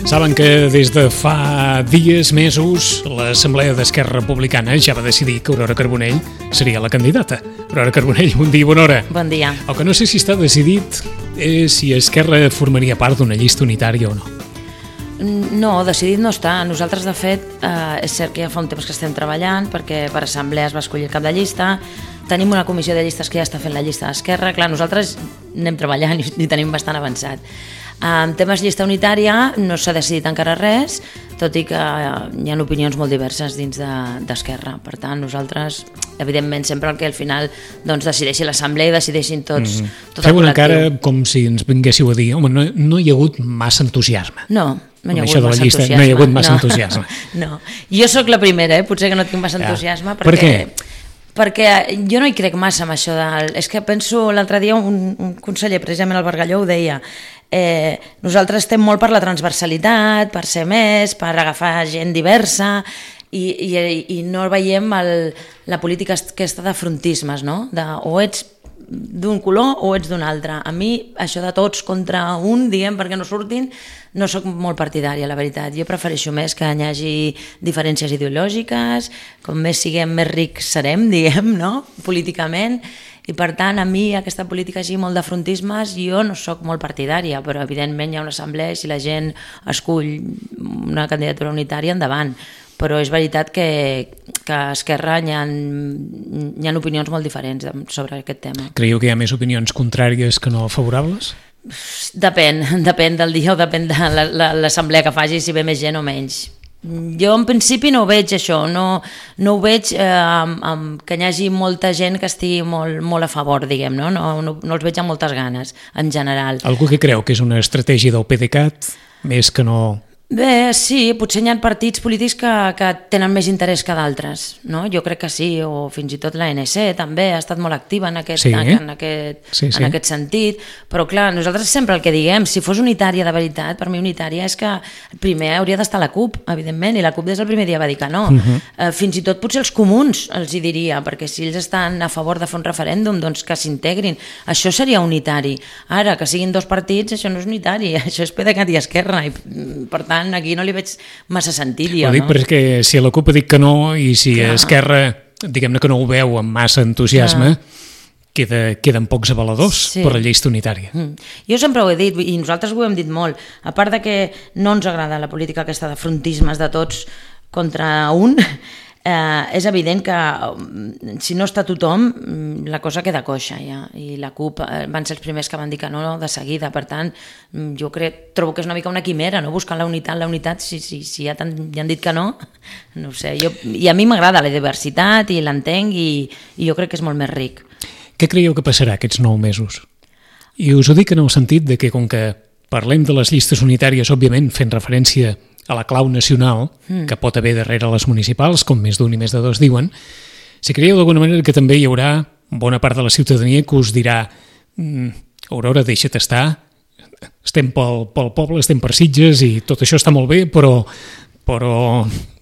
Saben que des de fa dies, mesos, l'Assemblea d'Esquerra Republicana ja va decidir que Aurora Carbonell seria la candidata. Aurora Carbonell, bon dia i bona hora. Bon dia. El que no sé si està decidit és si Esquerra formaria part d'una llista unitària o no. No, decidit no està. Nosaltres, de fet, és cert que ja fa un temps que estem treballant perquè per assemblea es va escollir el cap de llista. Tenim una comissió de llistes que ja està fent la llista d'Esquerra. Clar, nosaltres anem treballant i tenim bastant avançat. En temes llista unitària no s'ha decidit encara res, tot i que hi ha opinions molt diverses dins d'Esquerra. Per tant, nosaltres, evidentment, sempre el que al final decideixi l'assemblea i decideixin tots tot el col·lectiu. Feu una cara com si ens vinguéssiu a dir no hi ha hagut massa entusiasme. No hi ha hagut massa entusiasme. No. Jo sóc la primera, potser que no tinc massa entusiasme. Per què? Perquè jo no hi crec massa amb això és que penso, l'altre dia un conseller, precisament el Bargalló, ho deia, nosaltres estem molt per la transversalitat, per ser més, per agafar gent diversa i no veiem la política aquesta de frontismes, no? O ets d'un color o ets d'un altre. A mi això de tots contra un, diguem, perquè no surtin, no sóc molt partidària, la veritat. Jo prefereixo més que hi hagi diferències ideològiques, com més siguem més rics serem, diguem, no? Políticament, i per tant a mi aquesta política així molt de frontismes jo no sóc molt partidària, però evidentment hi ha una assemblea i si la gent escull una candidatura unitària, endavant. Però és veritat que a Esquerra hi ha opinions molt diferents sobre aquest tema. Creieu que hi ha més opinions contràries que no favorables? Depèn del dia o depèn de l'assemblea que faci, si ve més gent o menys. Jo en principi no ho veig això, no ho veig que hi hagi molta gent que estigui molt a favor, diguem, no els veig amb moltes ganes, en general. Algú que creu que és una estratègia del PDeCAT, més que no... Bé, sí, potser hi ha partits polítics que tenen més interès que d'altres, no? Jo crec que sí, o fins i tot l'ANC també ha estat molt activa en aquest sentit, però clar, nosaltres sempre el que diguem, si fos unitària de veritat, per mi unitària és que primer hauria d'estar la CUP, evidentment, i la CUP des del primer dia va dir que no. Fins i tot potser els comuns els hi diria, perquè si ells estan a favor de fer un referèndum, doncs que s'integrin. Això seria unitari. Ara, que siguin dos partits, això no és unitari, això és PDeCAT i Esquerra, i per tant aquí no li veig massa sentit. Ho dic perquè si la CUP ha dit que no i si Esquerra, diguem-ne que no ho veu amb massa entusiasme, queden pocs avaladors per la llista unitària. Jo sempre ho he dit i nosaltres ho hem dit molt, a part de que no ens agrada la política aquesta de frontismes de tots contra un, és evident que si no està tothom la cosa queda coixa ja, i la CUP van ser els primers que van dir que no de seguida, per tant jo trobo que és una mica una quimera, no? Buscant la unitat, si ja han dit que no ho sé, i a mi m'agrada la diversitat i l'entenc i jo crec que és molt més ric. Què creieu que passarà aquests 9 mesos? I us ho dic en el sentit de que com que parlem de les llistes unitàries, òbviament fent referència a la clau nacional, que pot haver darrere les municipals, com més d'un i més de dos diuen, si creieu d'alguna manera que també hi haurà bona part de la ciutadania que us dirà Aurora, deixa't estar, estem pel poble, estem per Sitges i tot això està molt bé, però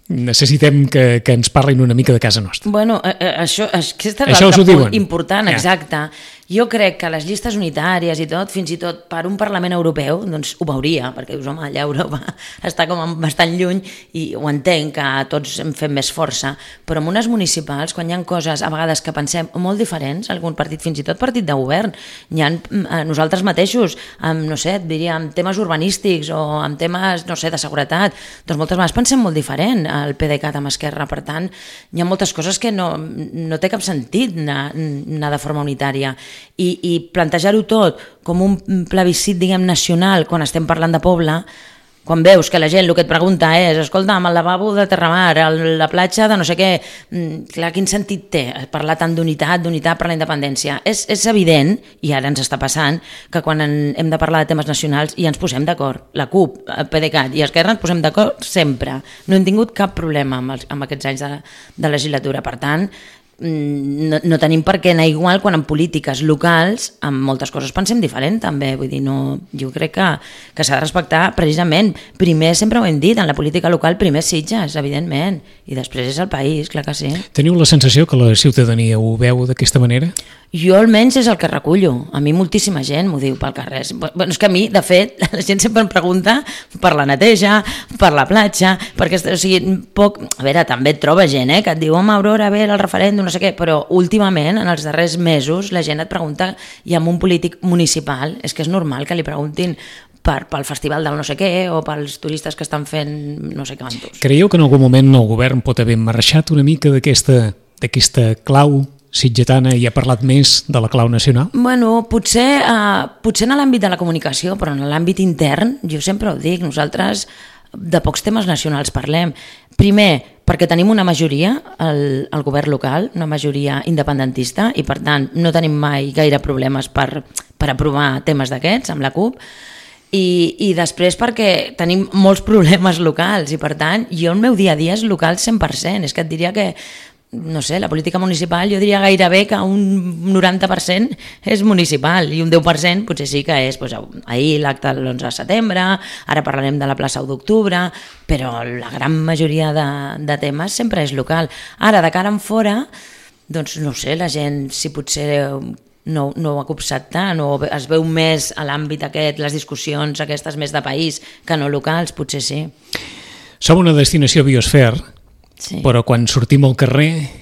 necessitem que ens parlin una mica de casa nostra. Bueno, aquest és l'altre punt important, exacte. Jo crec que les llistes unitàries i tot, fins i tot per un Parlament Europeu, doncs ho veuria, perquè dius, home, allà Europa està com bastant lluny i ho entenc que tots hem fet més força, però en unes municipals, quan hi ha coses a vegades que pensem molt diferents, algun partit, fins i tot partit de govern, hi ha nosaltres mateixos, no sé, et diria, amb temes urbanístics o amb temes, no sé, de seguretat, doncs moltes vegades pensem molt diferent al PDeCAT amb Esquerra, per tant, hi ha moltes coses que no té cap sentit anar de forma unitària. I plantejar-ho tot com un plebiscit, diguem, nacional, quan estem parlant de poble, quan veus que la gent el que et pregunta és escolta'm, el lavabo de Terramar, la platja de no sé què, clar, quin sentit té parlar tant d'unitat per la independència? És evident, i ara ens està passant, que quan hem de parlar de temes nacionals ja ens posem d'acord. La CUP, PDeCAT i Esquerra ens posem d'acord sempre. No hem tingut cap problema amb aquests anys de legislatura. Per tant, no tenim per què anar igual quan en polítiques locals en moltes coses pensem diferent també, vull dir, no, jo crec que s'ha de respectar precisament, primer sempre ho hem dit, en la política local primer Sitges, evidentment, i després és el país, clar que sí. Teniu la sensació que la ciutadania ho veu d'aquesta manera? Jo almenys és el que recullo, a mi moltíssima gent m'ho diu pel carrer, bueno, és que a mi de fet la gent sempre em pregunta per la neteja, per la platja, perquè o sigui, a veure, també et troba gent que et diu, home Aurora, a veure el referèndum, no sé què, però últimament, en els darrers mesos, la gent et pregunta, i amb un polític municipal, és que és normal que li preguntin pel festival del no sé què o pels turistes que estan fent no sé quantos. Creieu que en algun moment el govern pot haver marxat una mica d'aquesta clau sitgetana i ha parlat més de la clau nacional? Bueno, potser en l'àmbit de la comunicació, però en l'àmbit intern, jo sempre ho dic, nosaltres de pocs temes nacionals parlem. Primer, perquè tenim una majoria al govern local, una majoria independentista, i per tant no tenim mai gaire problemes per aprovar temes d'aquests amb la CUP, i després perquè tenim molts problemes locals i per tant jo el meu dia a dia és local 100%, és que et diria que no sé, la política municipal jo diria gairebé que un 90% és municipal i un 10% potser sí que és ahir l'acte l'11 de setembre, ara parlarem de la plaça 1 d'octubre, però la gran majoria de temes sempre és local. Ara, de cara en fora, doncs no sé, la gent si potser no ho ha copsat tant o es veu més a l'àmbit aquest, les discussions aquestes més de país que no locals, potser sí. Som una destinació biosfer, sí. Però quan sortim al carrer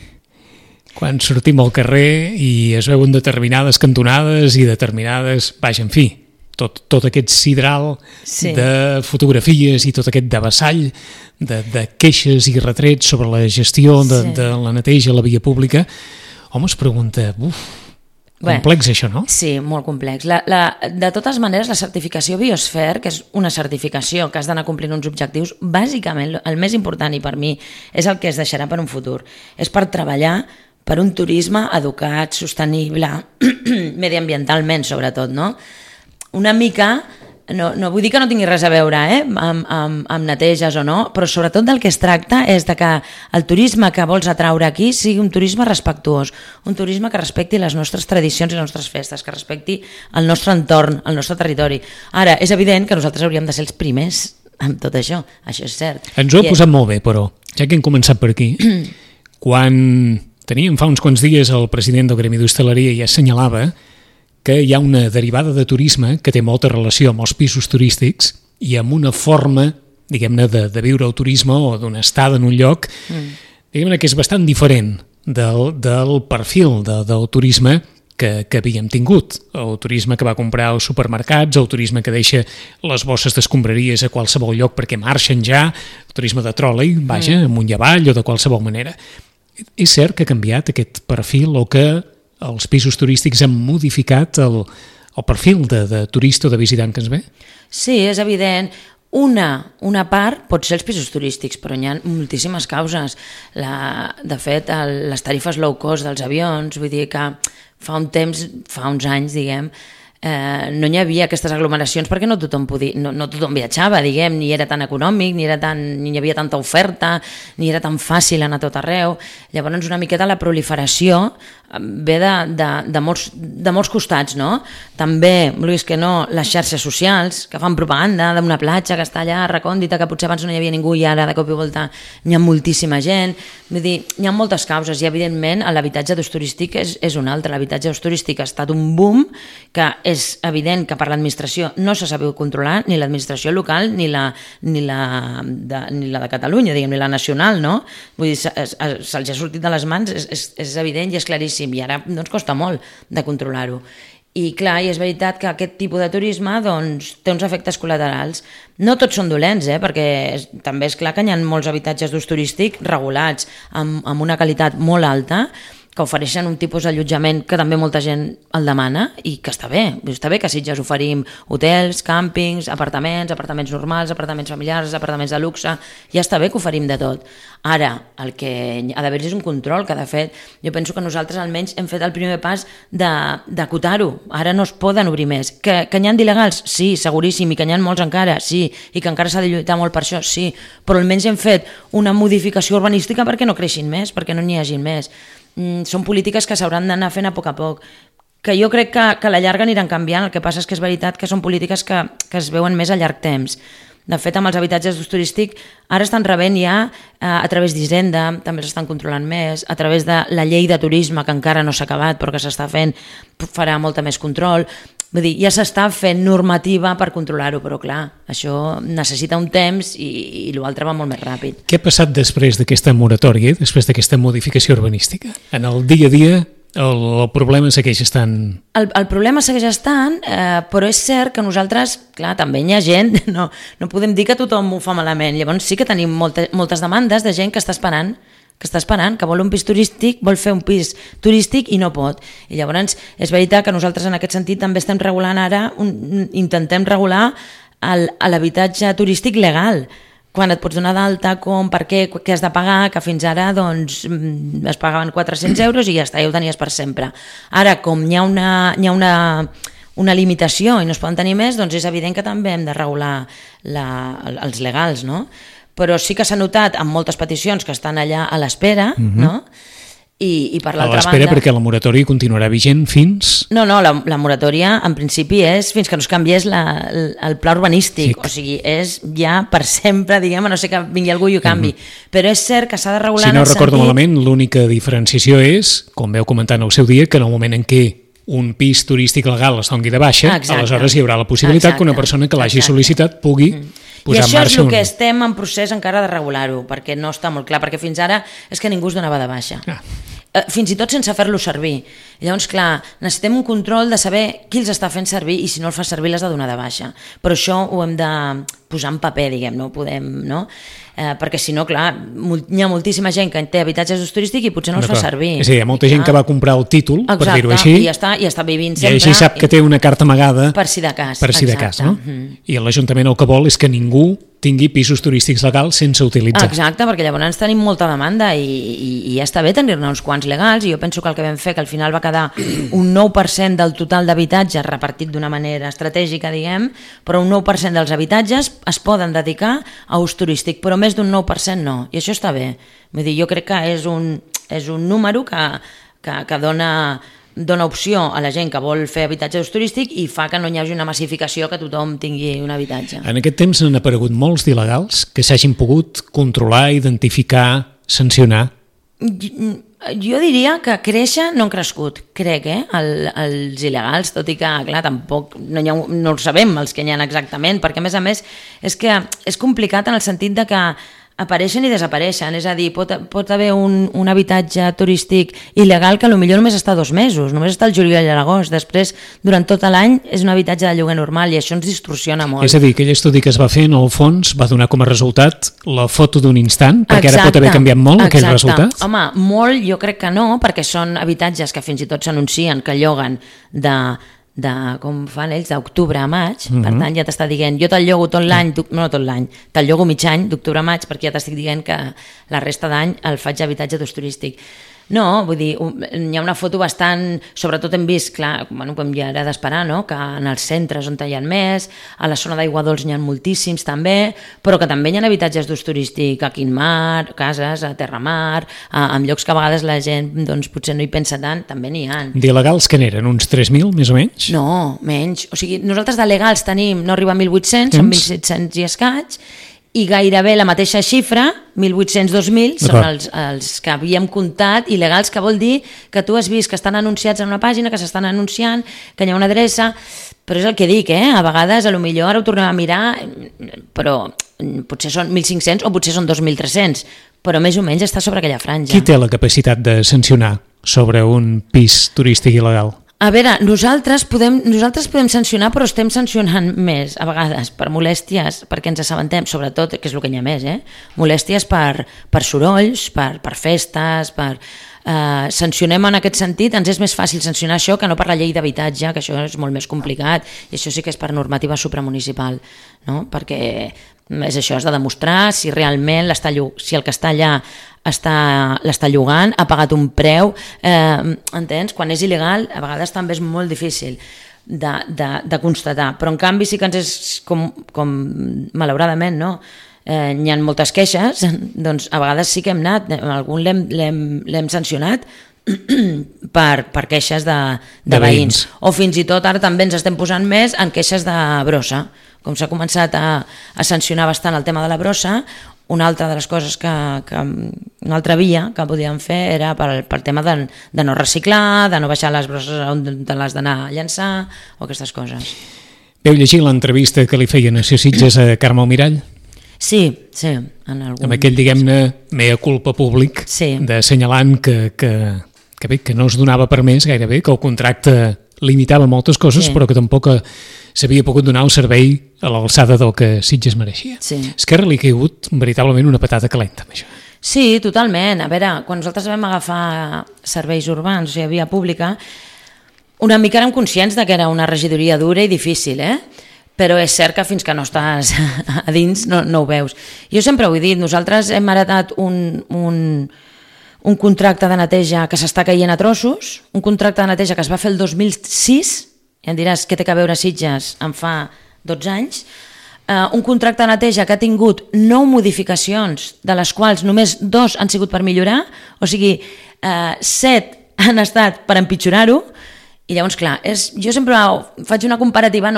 i es veuen determinades cantonades i determinades, en fi, tot aquest sidral de fotografies i tot aquest devessall de queixes i retrets sobre la gestió de la neteja a la via pública, home, es pregunta, complex això, no? Sí, molt complex. De totes maneres, la certificació Biosfer, que és una certificació que has d'anar complint uns objectius, bàsicament el més important i per mi és el que es deixarà per un futur. És per treballar per un turisme educat, sostenible, mediambientalment sobretot, no? Una mica... No vull dir que no tingui res a veure amb neteges o no, però sobretot del que es tracta és de que el turisme que vols atraure aquí sigui un turisme respectuós, un turisme que respecti les nostres tradicions i les nostres festes, que respecti el nostre entorn, el nostre territori. Ara, és evident que nosaltres hauríem de ser els primers amb tot això és cert. Ens ho ha posat molt bé, però, ja que hem començat per aquí, quan teníem fa uns quants dies el president del Gremi d'Hostaleria ja assenyalava que hi ha una derivada de turisme que té molta relació amb els pisos turístics i amb una forma, diguem-ne, de viure el turisme o d'una estada en un lloc, diguem-ne que és bastant diferent del perfil del turisme que havíem tingut. El turisme que va comprar als supermercats, el turisme que deixa les bosses d'escombraries a qualsevol lloc perquè marxen ja, el turisme de tròlei, amunt i avall o de qualsevol manera. És cert que ha canviat aquest perfil o que els pisos turístics han modificat el perfil de turista o de visitant que ens ve? Sí, és evident. Una part pot ser els pisos turístics, però hi ha moltíssimes causes. De fet, les tarifes low cost dels avions, vull dir que fa uns anys, diguem, no hi havia aquestes aglomeracions perquè no tothom viatjava, diguem, ni era tan econòmic, ni hi havia tanta oferta, ni era tan fàcil anar a tot arreu. Llavors una miqueta la proliferació ve de molts costats, no? També, Luis, que no, les xarxes socials que fan propaganda d'una platja que està allà recòndita, que potser abans no hi havia ningú i ara de cop i volta hi ha moltíssima gent. Vull dir, hi ha moltes causes i evidentment l'habitatge d'ús turístic és un altre. L'habitatge d'ús turístic ha estat un boom que és evident que per l'administració no s'ha sabut controlar, ni l'administració local ni la de Catalunya, diguem, ni la nacional, no? Vull dir, se'ls ha sortit de les mans, és evident i és claríssim, i ara doncs costa molt de controlar-ho. I clar, i és veritat que aquest tipus de turisme doncs, té uns efectes col·laterals. No tots són dolents, perquè també és clar que hi ha molts habitatges d'ús turístic regulats amb una qualitat molt alta, que ofereixen un tipus d'allotjament que també molta gent el demana i que està bé que a Sitges oferim hotels, càmpings, apartaments normals, apartaments familiars, apartaments de luxe, ja està bé que oferim de tot. Ara, el que ha d'haver-hi és un control, que de fet jo penso que nosaltres almenys hem fet el primer pas d'acotar-ho, ara no es poden obrir més. Que n'hi ha d'il·legals? Sí, seguríssim, i que n'hi ha molts encara, sí, i que encara s'ha de lluitar molt per això, sí, però almenys hem fet una modificació urbanística perquè no creixin més, perquè no n'hi hagin més. són polítiques que s'hauran d'anar fent a poc, que jo crec que a la llarga aniran canviant. El que passa és que és veritat que són polítiques que es veuen més a llarg temps. De fet, amb els habitatges d'ús turístic ara estan rebent ja a través d'Hisenda, també s'estan controlant més, a través de la llei de turisme, que encara no s'ha acabat però que s'està fent, farà molta més control. Vull dir, ja s'està fent normativa per controlar-ho, però clar, això necessita un temps i l'altre va molt més ràpid. Què ha passat després d'aquesta moratòria, després d'aquesta modificació urbanística? En el dia a dia el problema segueix estant... El problema segueix estant, però és cert que nosaltres, clar, també hi ha gent, no podem dir que tothom ho fa malament, llavors sí que tenim moltes demandes de gent que està esperant, que vol un pis turístic, vol fer un pis turístic i no pot. I llavors és veritat que nosaltres en aquest sentit també estem regulant ara, intentem regular l'habitatge turístic legal, quan et pots donar d'alta, com, per què has de pagar, que fins ara doncs, es pagaven 400 euros i ja està, ja ho tenies per sempre. Ara, com hi ha una limitació i no es poden tenir més, doncs és evident que també hem de regular els legals, no? Però sí que s'ha notat amb moltes peticions que estan allà a l'espera, no? I per l'altra banda... A l'espera perquè la moratòria continuarà vigent fins... No, la moratòria en principi és fins que no es canviés el pla urbanístic, o sigui, és ja per sempre, diguem, a no ser que vingui algú i ho canvi. Però és cert que s'ha de regular en el sentit... Si no recordo malament, l'única diferenciació és, com veu comentar en el seu dia, que en el moment en què un pis turístic legal es doni de baixa, aleshores hi haurà la possibilitat que una persona que l'hagi sol·licitat pugui posar en marxa... I això és el que estem en procés encara de regular-ho, perquè no està molt clar, perquè fins ara és que ningú es donava de baixa. Fins i tot sense fer-lo servir. Llavors, clar, necessitem un control de saber qui els està fent servir i si no el fa servir l'has de donar de baixa. Però això ho hem de posar en paper, diguem, no podem, no? Perquè si no, clar, hi ha moltíssima gent que té habitatges d'ús turístic i potser no els fa servir. És a dir, hi ha molta gent que va comprar el títol, per dir-ho així, i està vivint sempre. I així sap que té una carta amagada per si de cas. Per si de cas, no? I l'Ajuntament el que vol és que ningú tingui pisos turístics legals sense utilitzar. Exacte, perquè llavors tenim molta demanda i ja està bé tenir-ne uns quants legals, i jo penso que el que vam fer, que al final va quedar un 9% del total d'habitatges repartit d'una manera estratègica, diguem, però un 9% dels habitatges es poden dedicar a ús turístic, però més d'un 9% no, i això està bé. Vull dir, jo crec que és un número que dona opció a la gent que vol fer habitatge d'ús turístic i fa que no hi hagi una massificació, que tothom tingui un habitatge. En aquest temps han aparegut molts d'il·legals que s'hagin pogut controlar, identificar, sancionar. Jo diria que créixer no han crescut, crec, els il·legals, tot i que, clar, tampoc no ho sabem els que n'hi ha exactament, perquè a més és que és complicat en el sentit de que apareixen i desapareixen, és a dir, pot haver un habitatge turístic il·legal que potser només està 2 mesos, només està el juliol i l'agost, després durant tot l'any és un habitatge de lloguer normal i això ens distorsiona molt. És a dir, aquell estudi que es va fer en el fons va donar com a resultat la foto d'un instant, perquè ara pot haver canviat molt aquell resultat? Home, molt jo crec que no, perquè són habitatges que fins i tot s'anuncien que lloguen com fan ells, d'octubre a maig, per tant ja t'està dient, jo te'l llogo tot l'any, no tot l'any, te'l llogo mig any, d'octubre a maig, perquè ja t'estic dient que la resta d'any el faig habitatge d'ús turístic. No, vull dir, hi ha una foto bastant... Sobretot hem vist, clar, com ja era d'esperar, no?, que en els centres on hi ha més, a la zona d'Aigua Dols n'hi ha moltíssims també, però que també hi ha habitatges d'ús turístic a Quintmar, cases, a Terramar, en llocs que a vegades la gent doncs, potser no hi pensa tant, també n'hi ha. D'il·legals que n'eren? Uns 3.000, més o menys? No, menys. O sigui, nosaltres de legals tenim, no arriba a 1.800, són 1.700 i escaig, i gairebé la mateixa xifra, 1.800-2.000, són els que havíem comptat, il·legals, que vol dir que tu has vist que estan anunciats en una pàgina, que s'estan anunciant, que hi ha una adreça, però és el que dic, a vegades, potser ara ho tornem a mirar, però potser són 1.500 o potser són 2.300, però més o menys està sobre aquella franja. Qui té la capacitat de sancionar sobre un pis turístic il·legal? A veure, nosaltres podem sancionar, però estem sancionant més, a vegades, per molèsties, perquè ens assabentem, sobretot, que és el que hi ha més, molèsties per sorolls, per festes, sancionem en aquest sentit, ens és més fàcil sancionar això que no per la llei d'habitatge, que això és molt més complicat, i això sí que és per normativa supramunicipal, no? Perquè és això, has de demostrar si realment si el que està allà l'està llogant, ha pagat un preu, entens? Quan és il·legal a vegades també és molt difícil de constatar, però en canvi sí que ens és com malauradament, no? N'hi ha moltes queixes, doncs a vegades sí que hem anat, algun l'hem sancionat per queixes de veïns. O fins i tot ara també ens estem posant més en queixes de brossa. Com s'ha començat a sancionar bastant el tema de la brossa, una altra de les coses una altra via que podíem fer era pel tema de no reciclar, de no baixar les brosses on te l'has d'anar a llançar o aquestes coses. Veu llegir l'entrevista que li feien a Sitges a Carme Almirall? Sí. Amb aquell, diguem-ne, mea culpa públic, d'assenyalant que no es donava per més gairebé, que el contracte limitava moltes coses, però que tampoc s'havia pogut donar el servei a l'alçada del que Sitges mereixia. Esquerra li ha caigut veritablement una patata calenta amb això. Sí, totalment. A veure, quan nosaltres vam agafar serveis urbans, o sigui, via pública, una mica érem conscients que era una regidoria dura i difícil, però és cert que fins que no estàs a dins no ho veus. Jo sempre ho he dit, nosaltres hem heretat un contracte de neteja que s'està caient a trossos, un contracte de neteja que es va fer el 2006, i em diràs què té a veure Sitges en fa 12 anys, un contracte de neteja que ha tingut 9 modificacions, de les quals només 2 han sigut per millorar, o sigui, 7 han estat per empitjorar-ho. I llavors, clar, jo sempre faig una comparativa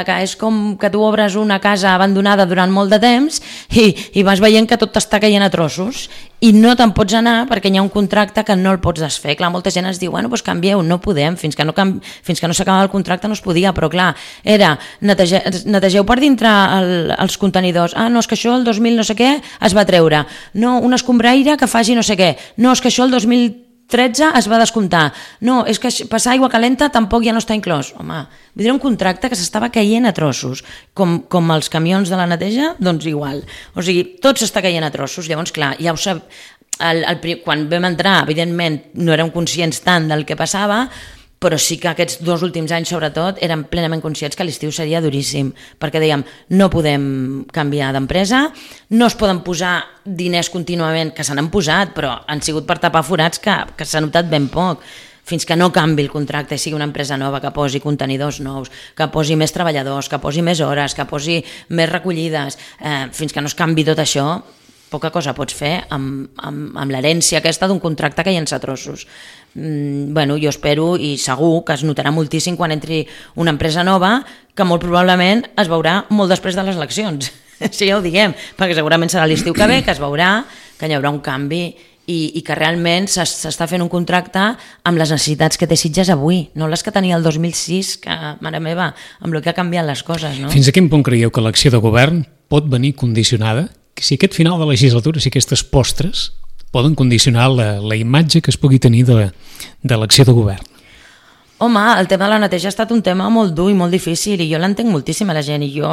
que és com que tu obres una casa abandonada durant molt de temps i vas veient que tot t'està caient a trossos i no te'n pots anar perquè hi ha un contracte que no el pots desfer. Clar, molta gent ens diu, bueno, doncs canvieu, no podem, fins que no s'acaba el contracte no es podia, però clar, era netegeu per dintre els contenidors, no, és que això el 2000 no sé què es va treure, no, un escombraire que faci no sé què, no, és que això el 2013 es va descomptar. No, és que passar aigua calenta tampoc ja no està inclòs. Home, vull dir, un contracte que s'estava caient a trossos. Com els camions de la neteja, doncs igual. O sigui, tot s'està caient a trossos. Llavors, clar, ja ho sap, quan vam entrar, evidentment, no érem conscients tant del que passava, però sí que aquests 2 últims anys, sobretot, érem plenament conscients que l'estiu seria duríssim, perquè dèiem, no podem canviar d'empresa, no es poden posar diners contínuament, que se n'han posat, però han sigut per tapar forats que s'ha notat ben poc, fins que no canvi el contracte i sigui una empresa nova, que posi contenidors nous, que posi més treballadors, que posi més hores, que posi més recollides, fins que no es canvi tot això, poca cosa pots fer amb l'herència aquesta d'un contracte que llença trossos. Bueno, jo espero i segur que es notarà moltíssim quan entri una empresa nova que molt probablement es veurà molt després de les eleccions. Sí, ja ho diguem, perquè segurament serà l'estiu que ve, que es veurà que hi haurà un canvi i que realment s'està fent un contracte amb les necessitats que té Sitges avui, no les que tenia el 2006, que, mare meva, amb el que ha canviat les coses, no? Fins a quin punt creieu que l'acció de govern pot venir condicionada? Si aquest final de legislatura, si aquestes postres poden condicionar la imatge que es pugui tenir de l'acció de govern? Home, el tema de la neteja ha estat un tema molt dur i molt difícil i jo l'entenc moltíssim a la gent i jo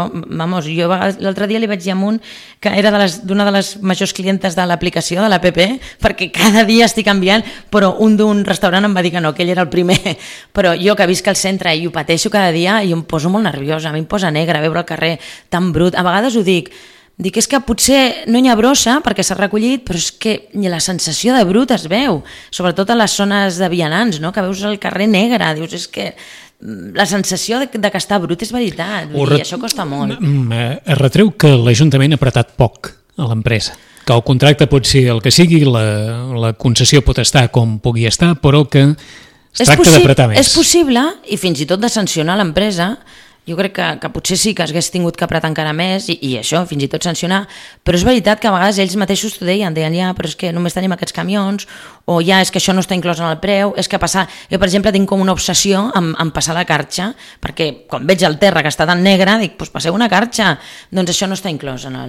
l'altre dia li vaig dir amunt que era d'una de les majors clientes de l'aplicació de l'APP perquè cada dia estic canviant, però un d'un restaurant em va dir que no, que ell era el primer, però jo que visc al centre i ho pateixo cada dia i em poso molt nerviosa, a mi em posa negra veure el carrer tan brut, a vegades ho dic és que potser no hi ha brossa perquè s'ha recollit, però és que la sensació de brut es veu, sobretot a les zones de vianants, no? Que veus el carrer negre, dius, és que la sensació de que està brut és veritat, i això costa molt. Es retreu que l'Ajuntament ha apretat poc a l'empresa, que el contracte pot ser el que sigui, la concessió pot estar com pugui estar, però que es tracta d'apretar més. És possible, i fins i tot de sancionar l'empresa. Jo crec que potser sí que hagués tingut que apretar encara més i això, fins i tot sancionar, però és veritat que a vegades ells mateixos t'ho deien, ja, però és que només tenim aquests camions, o ja, és que això no està inclòs en el preu, és que passar... Jo, per exemple, tinc com una obsessió en passar la carxa, perquè quan veig el terra que està tan negre, dic, doncs passeu una carxa, doncs això no està inclòs en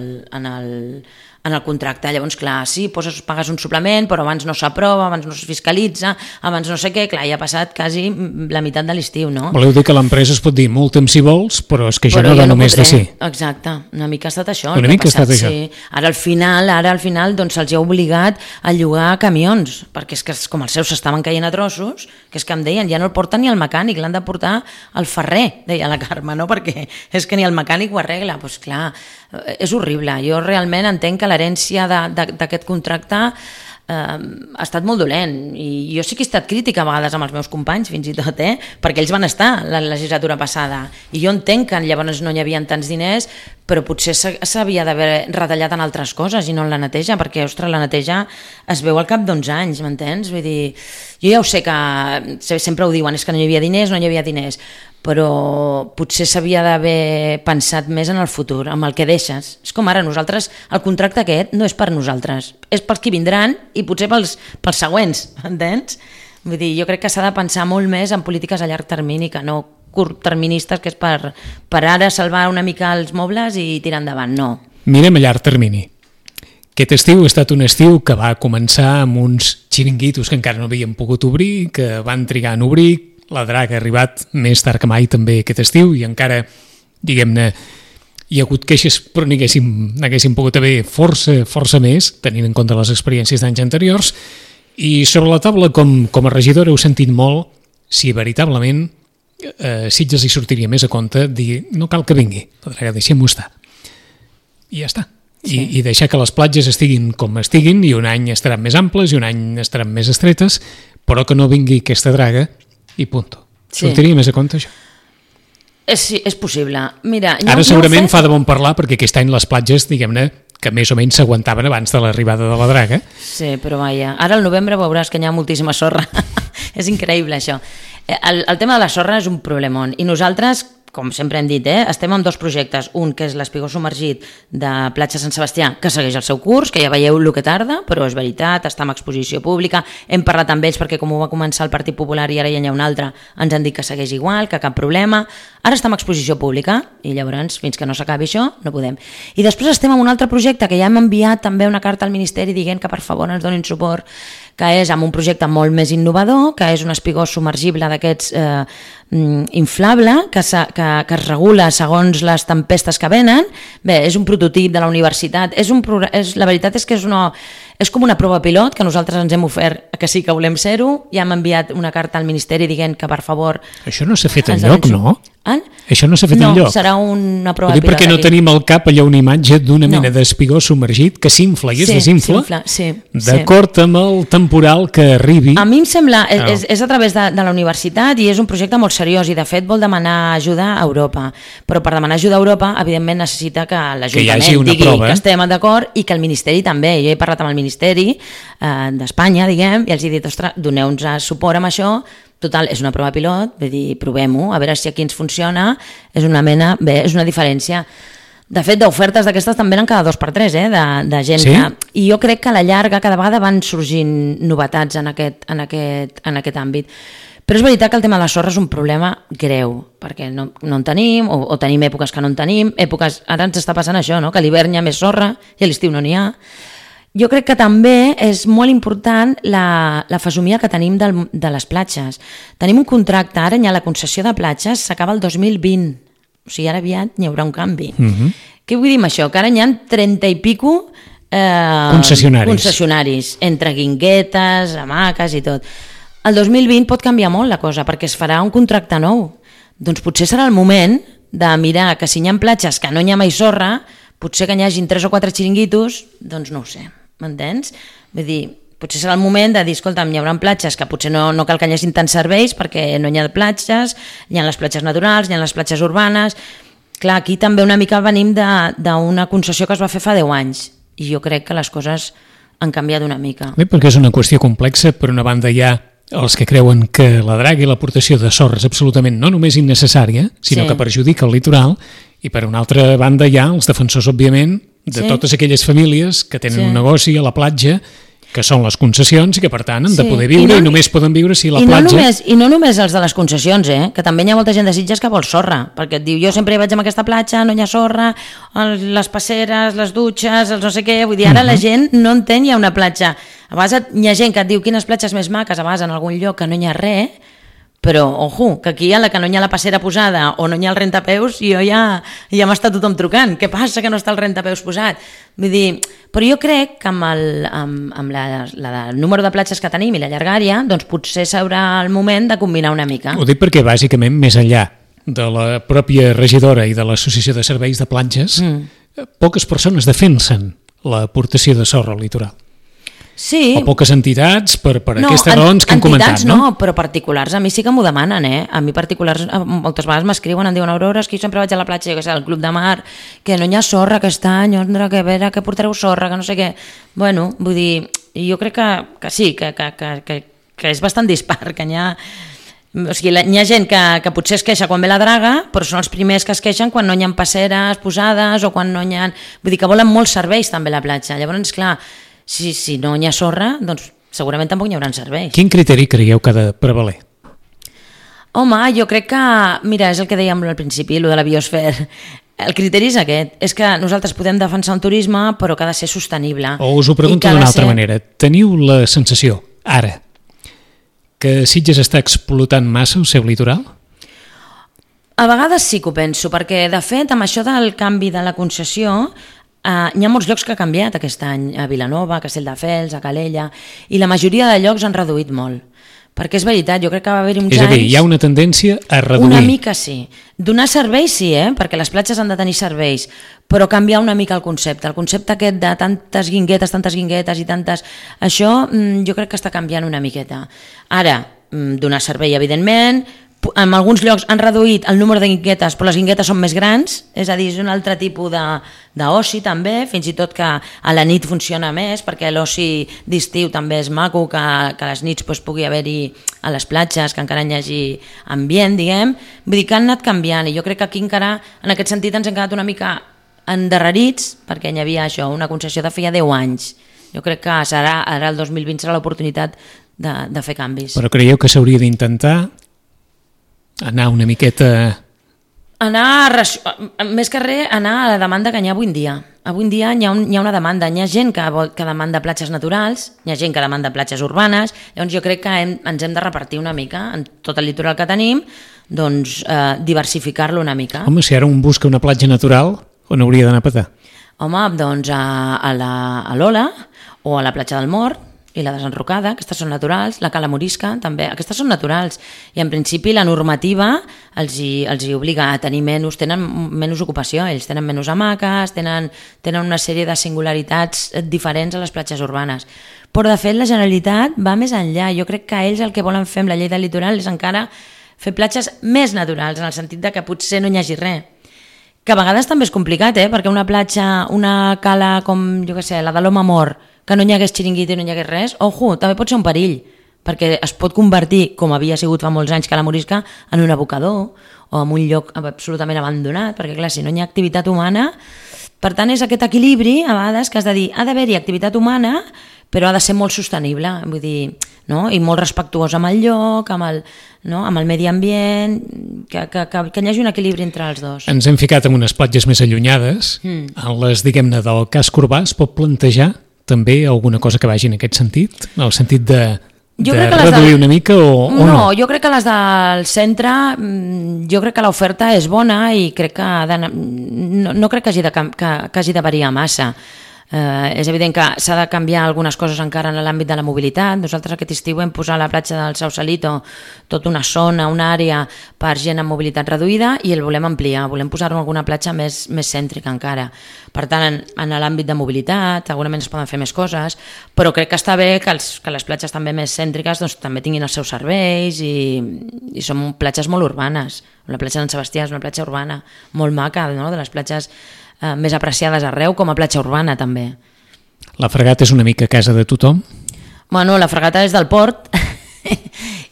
el contracte. Llavors, clar, sí, pagues un suplement, però abans no s'aprova, abans no es fiscalitza, abans no sé què, clar, ja ha passat quasi la meitat de l'estiu, no? Voleu dir que l'empresa es pot dir multa'm si vols, però és que això no va només de ser. Exacte, una mica ha estat això. Una mica ha estat això. Sí. Ara al final doncs se'ls ha obligat a llogar camions, perquè és que com els seus s'estaven caient a trossos, que és que em deien, ja no el porta ni el mecànic, l'han de portar al ferrer, deia la Carme, no? Perquè és que ni el mecànic ho arregla. Doncs clar, és horrible. Jo realment entenc que l'herència d'aquest contracte ha estat molt dolent, i jo sí que he estat crítica a vegades amb els meus companys, fins i tot, perquè ells van estar la legislatura passada, i jo entenc que llavors no hi havia tants diners, però potser s'havia d'haver retallat en altres coses i no en la neteja, perquè, ostres, la neteja es veu al cap d'11 anys, m'entens? Vull dir, jo ja ho sé que sempre ho diuen, és que no hi havia diners, però potser s'havia d'haver pensat més en el futur, amb el que deixes. És com ara, nosaltres, el contracte aquest no és per nosaltres, és pels que vindran i potser pels següents, entens? Vull dir, jo crec que s'ha de pensar molt més en polítiques a llarg termini que no curtterministes, que és per ara salvar una mica els mobles i tirar endavant, no. Mirem a llarg termini. Aquest estiu ha estat un estiu que va començar amb uns xiringuitos que encara no havien pogut obrir, que van trigar en obrir. La Draga ha arribat més tard que mai també aquest estiu i encara, diguem-ne, hi ha hagut queixes, però n'haguessin pogut haver força més, tenint en compte les experiències d'anys anteriors. I sobre la taula, com a regidora, heu sentit molt si veritablement Sitges hi sortiria més a compte dir no cal que vingui, la Draga, deixem-ho estar. I ja està. Sí. I deixar que les platges estiguin com estiguin, i un any estaran més amples i un any estaran més estretes, però que no vingui aquesta Draga i punto. Sí. Sortiria més a compte, això? Sí, és possible. Mira, ara segurament fa de bon parlar, perquè aquest any les platges, diguem-ne, que més o menys s'aguantaven abans de l'arribada de la Draga. Sí, però vaja, ara al novembre veuràs que hi ha moltíssima sorra. És increïble, això. El tema de la sorra és un problemón, i nosaltres, com sempre hem dit, estem amb dos projectes, un que és l'espigó submergit de Platja Sant Sebastià, que segueix el seu curs, que ja veieu el que tarda, però és veritat, està en exposició pública, hem parlat amb ells perquè com ho va començar el Partit Popular i ara ja n'hi ha un altre, ens han dit que segueix igual, que cap problema, ara està en exposició pública i llavors fins que no s'acabi això no podem. I després estem amb un altre projecte que ja hem enviat també una carta al Ministeri dient que per favor ens donin suport, que és amb un projecte molt més innovador, que és un espigó submergible d'aquests inflable, que es regula segons les tempestes que venen. Bé, és un prototip de la universitat, la veritat és que és com una prova pilot, que nosaltres ens hem ofert que sí que volem ser-ho, ja hem enviat una carta al Ministeri dient que per favor... Això no s'ha fet enlloc, no? Això no s'ha fet enlloc. No, serà una prova pilot. Perquè no tenim al cap allà una imatge d'una mena d'espigó submergit que s'infla i es desinfla d'acord amb el temporal que arribi. A mi em sembla, és a través de la universitat i és un projecte molt seriós i de fet vol demanar ajuda a Europa, però per demanar ajuda a Europa evidentment necessita que l'Ajuntament digui que estem d'acord i que el Ministeri també. Jo he parlat amb el Ministeri d'Espanya, diguem, i els he dit, ostres, doneu-nos suport amb això. Total, és una prova pilot, vull dir, provem-ho, a veure si aquí ens funciona, és una diferència. De fet, d'ofertes d'aquestes també eren cada 2 per 3, de gent sí? I jo crec que a la llarga cada vegada van sorgint novetats en aquest àmbit. Però és veritat que el tema de la sorra és un problema greu, perquè no en tenim, o tenim èpoques que no en tenim, ara ens està passant això, no? Que a l'hivern hi ha més sorra i a l'estiu no n'hi ha. Jo crec que també és molt important la fesomia que tenim de les platges. Tenim un contracte, ara hi ha la concessió de platges, s'acaba el 2020, o sigui, ara aviat hi haurà un canvi. Què vull dir amb això? Que ara hi ha 30 i pico concessionaris, entre guinguetes, hamaques i tot. El 2020 pot canviar molt la cosa, perquè es farà un contracte nou. Doncs potser serà el moment de mirar que si hi ha platges que no hi ha mai sorra, potser que n'hi hagin 3 o 4 xiringuitos, doncs no ho sé. M'entens? Vull dir, potser serà el moment de dir, escolta'm, hi haurà platges que potser no cal que hi hagin tants serveis perquè no hi ha platges, hi ha les platges naturals, hi ha les platges urbanes. Clar, aquí també una mica venim d'una concessió que es va fer fa 10 anys i jo crec que les coses han canviat una mica. Bé, perquè és una qüestió complexa. Per una banda hi ha els que creuen que la draga i l'aportació de sorra és absolutament no només innecessària, sinó que perjudica el litoral, i per una altra banda hi ha els defensors, òbviament, de totes aquelles famílies que tenen un negoci a la platja, que són les concessions i que per tant han de poder viure i només poden viure si la platja... I no només els de les concessions, que també hi ha molta gent de Sitges que vol sorra, perquè et diu, jo sempre vaig a aquesta platja, no hi ha sorra, les passeres, les dutxes, els no sé què, vull dir, ara la gent no entén, hi ha una platja. A vegades hi ha gent que et diu quines platges més maques, a vegades en algun lloc que no hi ha res, però, ojo, que aquí a la que no hi ha la passera posada o no hi ha el rentapeus, jo ja m'està tothom trucant. Què passa que no està el rentapeus posat? Vull dir, però jo crec que amb el número de platges que tenim i la llargària, doncs potser s'haurà el moment de combinar una mica. Ho dic perquè, bàsicament, més enllà de la pròpia regidora i de l'Associació de Serveis de Platges, poques persones defensen l'aportació de sorra al litoral. Sí. O poques entitats per aquestes raons que hem comentat, no? No, però particulars a mi sí que m'ho demanen, A mi particulars moltes vegades m'escriuen, em diuen Aurora, és que jo sempre vaig a la platja, jo que sé, al Club de Mar, que no hi ha sorra aquest any, que a veure, que portareu sorra, que no sé què. Bueno, vull dir, jo crec que sí, que és bastant dispar, que n'hi ha... O sigui, hi ha gent que potser es queixa quan ve la draga, però són els primers que es queixen quan no hi ha passeres posades o quan no hi ha... Vull dir que volen molts serveis també a la platja. Llavors, clar, si no hi ha sorra, doncs segurament tampoc hi haurà serveis. Quin criteri creieu que ha de prevaler? Home, jo crec que... Mira, és el que dèiem al principi, el de la biosfera. El criteri és aquest, és que nosaltres podem defensar un turisme, però que ha de ser sostenible. O us ho pregunto d'una altra manera. Teniu la sensació, ara, que Sitges està explotant massa el seu litoral? A vegades sí que ho penso, perquè de fet amb això del canvi de la concessió hi ha molts llocs que ha canviat aquest any, a Vilanova, a Castelldefels, a Calella, i la majoria de llocs han reduït molt. Perquè és veritat, jo crec que va haver-hi uns anys... És a dir, hi ha una tendència a reduir. Una mica sí. Donar serveis sí, perquè les platges han de tenir serveis, però canviar una mica el concepte. El concepte aquest de tantes guinguetes i tantes... Això jo crec que està canviant una miqueta. Ara, donar servei, evidentment... En alguns llocs han reduït el número de guinguetes, però les guinguetes són més grans, és a dir, és un altre tipus d'oci també, fins i tot que a la nit funciona més, perquè l'oci d'estiu també és maco, que a les nits pugui haver-hi a les platges, que encara hi hagi ambient, diguem. Vull dir que han anat canviant, i jo crec que aquí encara, en aquest sentit, ens hem quedat una mica endarrerits, perquè hi havia això, una concessió de feia 10 anys. Jo crec que ara el 2020 serà l'oportunitat de fer canvis. Però creieu que s'hauria d'intentar anar una miqueta... Més que res, anar a la demanda que hi ha avui en dia. Avui en dia hi ha una demanda. Hi ha gent que demanda platges naturals, hi ha gent que demanda platges urbanes, llavors jo crec que ens hem de repartir una mica en tot el litoral que tenim, doncs diversificar-lo una mica. Home, si ara un busca una platja natural, on hauria d'anar a petar? Home, doncs a l'Ola o a la platja del Mort, i la desenrocada, aquestes són naturals, la Cala Morisca també, aquestes són naturals, i en principi la normativa els hi obliga a tenir tenen menys ocupació, ells tenen menys hamaques, tenen una sèrie de singularitats diferents a les platges urbanes, però de fet la Generalitat va més enllà. Jo crec que ells el que volen fer amb la llei del litoral és encara fer platges més naturals, en el sentit de que potser no hi hagi res, que a vegades també és complicat, perquè una platja, una cala com, jo què sé, la de l'Home Mort, que no hi hagués xiringuito i no hi hagués res, ojo, també pot ser un perill, perquè es pot convertir, com havia sigut fa molts anys que la Morisca, en un abocador o en un lloc absolutament abandonat, perquè clar, si no hi ha activitat humana, per tant és aquest equilibri a vegades que has de dir, ha d'haver-hi activitat humana, però ha de ser molt sostenible, vull dir, no? I molt respectuós amb el lloc, amb el medi ambient, que hi hagi un equilibri entre els dos. Ens hem ficat en unes platges més allunyades, en les, diguem-ne, del casc urbà es pot plantejar també alguna cosa que vagi en aquest sentit? En el sentit de reduir una mica o no? No, jo crec que les del centre, jo crec que l'oferta és bona i crec que no crec que hagi de variar massa. És evident que s'ha de canviar algunes coses encara en l'àmbit de la mobilitat. Nosaltres aquest estiu hem posat a la platja del Sausalito tota una zona, una àrea per gent amb mobilitat reduïda i el volem ampliar, volem posar-ho en alguna platja més cèntrica encara. Per tant, en l'àmbit de mobilitat segurament es poden fer més coses, però crec que està bé que les platges també més cèntriques doncs, també tinguin els seus serveis i són platges molt urbanes. La platja d'en Sebastià és una platja urbana molt maca, no? De les platges més apreciades arreu, com a platja urbana també. La Fragata és una mica casa de tothom? Bueno, la Fragata és del port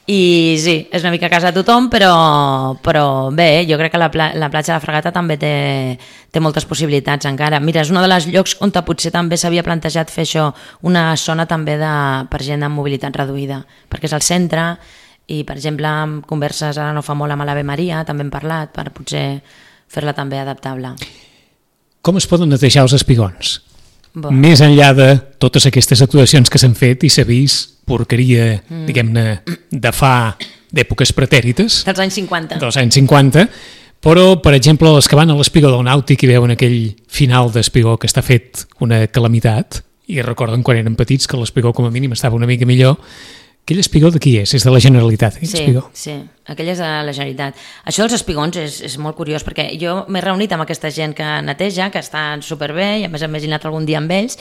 i sí, és una mica casa de tothom, però bé, jo crec que la platja de la Fragata també té moltes possibilitats encara. Mira, és un dels llocs on potser també s'havia plantejat fer això, una zona també per gent amb mobilitat reduïda, perquè és al centre i, per exemple, amb converses ara no fa molt amb l'Ave Maria, també hem parlat per potser fer-la també adaptable. Com es poden netejar els espigons? Més enllà de totes aquestes actuacions que s'han fet i s'ha vist porqueria, diguem-ne, d'èpoques pretèrites. Dels anys 50. Dels anys 50, però, per exemple, els que van a l'espigó del Nàutic i veuen aquell final d'espigó que està fet una calamitat, i recorden quan eren petits que l'espigó com a mínim estava una mica millor, Aquell espigó de qui és? És de la Generalitat, aquell espigó? Sí, aquell és de la Generalitat. Això dels espigons és molt curiós, perquè jo m'he reunit amb aquesta gent que neteja, que estan superbé, i a més he anat algun dia amb ells,